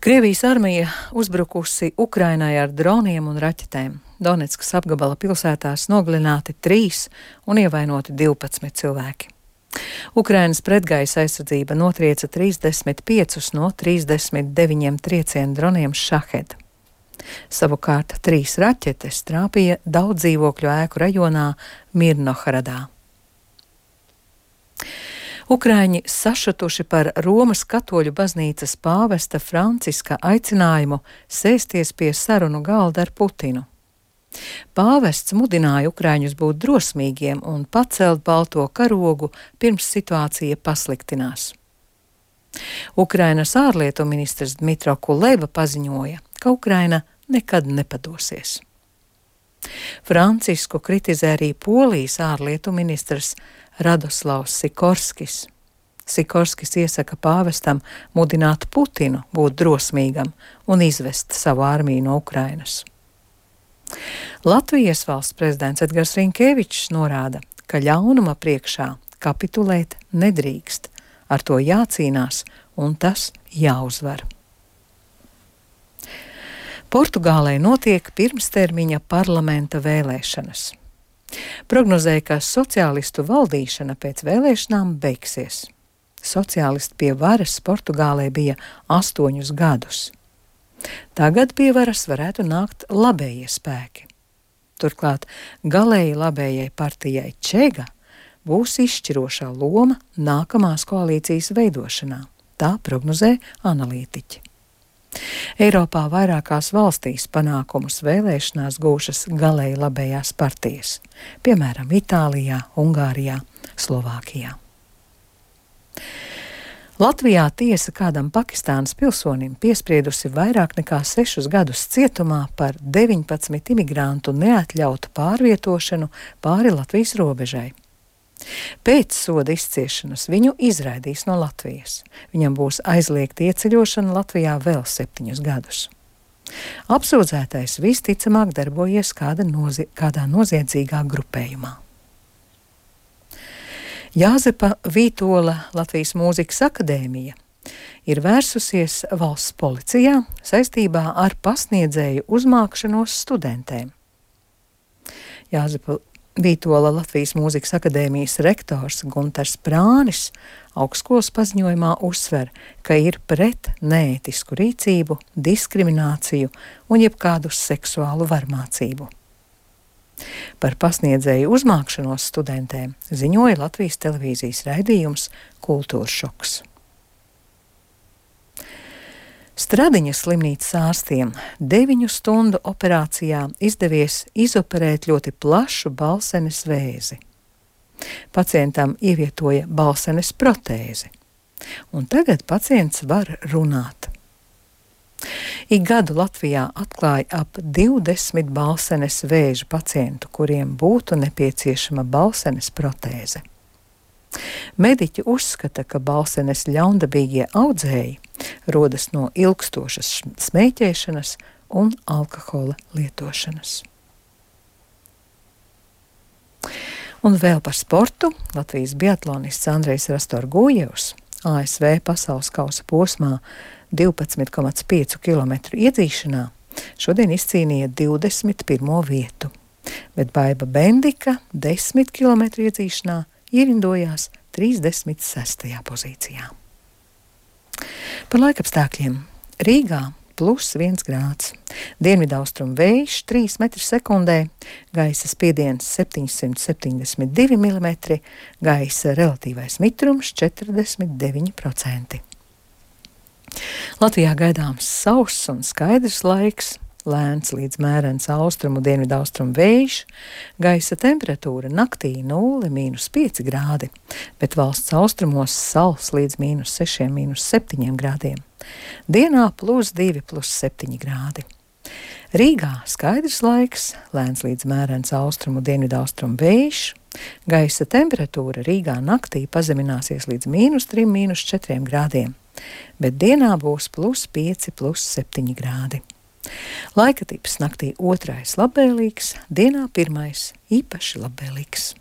Krievijas armija uzbrukusi Ukrainai ar droniem un raķetēm. Donetskas apgabala pilsētās nogalināti 3 un ievainoti 12 cilvēki. Ukrainas pretgaisa aizsardzība notrieca 35 no 39 triecienu droniem Šahed. Savukārt 3 raķetes trāpīja daudz dzīvokļu ēku rajonā Mirnohradā. Ukraiņi sašutuši par Romas katoļu baznīcas pāvesta Franciska aicinājumu sēsties pie sarunu galda ar Putinu. Pāvests mudināja ukraiņus būt drosmīgiem un pacelt balto karogu, pirms situācija pasliktinās. Ukrainas ārlietu ministrs Dmitro Kuleba paziņoja, ka Ukraina nekad nepadosies. Francisku kritizē arī Polijas ārlietu ministrs Radoslavs Sikorskis. Sikorskis iesaka pāvestam mudināt Putinu būt drosmīgam un izvest savu armiju no Ukrainas. Latvijas valsts prezidents Edgars Rinkevičs norāda, ka ļaunuma priekšā kapitulēt nedrīkst, ar to jācīnās un tas jāuzvar. Portugālē notiek pirmstermiņa parlamenta vēlēšanas. Prognozēja, ka sociālistu valdīšana pēc vēlēšanām beigsies. Sociālisti pie varas Portugālē bija 8 gadus. Tagad pie varas varētu nākt labējie spēki. Turklāt galēji labējai partijai Čega būs izšķirošā loma nākamās koalīcijas veidošanā. Tā prognozē analītiķi. Eiropā vairākās valstīs panākumus vēlēšanās gūšas galēji labējās partijas, piemēram, Itālijā, Ungārijā, Slovākijā. Latvijā tiesa kādam Pakistānas pilsonim piespriedusi vairāk nekā 6 gadus cietumā par 19 imigrantu neatļautu pārvietošanu pāri Latvijas robežai. Pēc soda izciešanas viņu izraidīs no Latvijas. Viņam būs aizliegta ieceļošana Latvijā vēl 7 gadus. Apsūdzētais visticamāk darbojies kādā noziedzīgā grupējumā. Jāzepa Vītola Latvijas Mūzikas akadēmija ir vērsusies valsts policijā saistībā ar pasniedzēju uzmākšanos studentēm. Jāzepa Vītola Latvijas Mūzikas akadēmijas rektors Guntars Prānis augstskolas paziņojumā uzsver, ka ir pret neētisku rīcību, diskrimināciju un jebkādu seksuālu varmācību. Par pasniedzēju uzmākšanos studentēm ziņoja Latvijas televīzijas raidījums Kultūras šoks. Stradiņas slimnīcas ārstiem 9 stundu operācijā izdevies izoperēt ļoti plašu balsenes vēzi. Pacientam ievietoja balsenes protēzi, un tagad pacients var runāt. Ik gadu Latvijā atklāja ap 20 balsenes vēža pacientu, kuriem būtu nepieciešama balsenes protēze. Mediķi uzskata, ka balsenes ļaundabīgie audzēji rodas no ilgstošas smēķēšanas un alkohola lietošanas. Un vēl par sportu. Latvijas biatlonists Andrejs Rastorgujevs ASV pasaules kausa posmā 12,5 km iedzīšanā šodien izcīnīja 21. vietu, bet Baiba Bendika 10 km iedzīšanā ierindojās 36. pozīcijā. Par laikapstākļiem. Rīgā +1 grāds, dienvidaustrumu vējš 3 m/sekundē, gaisa spiediens 772 mm, gaisa relatīvais mitrums 49%. Latvijā gaidāms sauss un skaidrs laiks, lēns līdz mērens austrumu dienvidaustrumu vējš, gaisa temperatūra naktī 0, -5 grādi, bet valsts austrumos sals līdz -6, -7 grādiem. Dienā +2, +7 grādi. Rīgā skaidrs laiks, lēns līdz mērens austrumu dienvidaustrumu vējš, gaisa temperatūra Rīgā naktī pazemināsies līdz -3, -4 grādiem, bet dienā būs +5, +7 grādi. Laika tips naktī 2. labvēlīgs, dienā 1. īpaši labvēlīgs.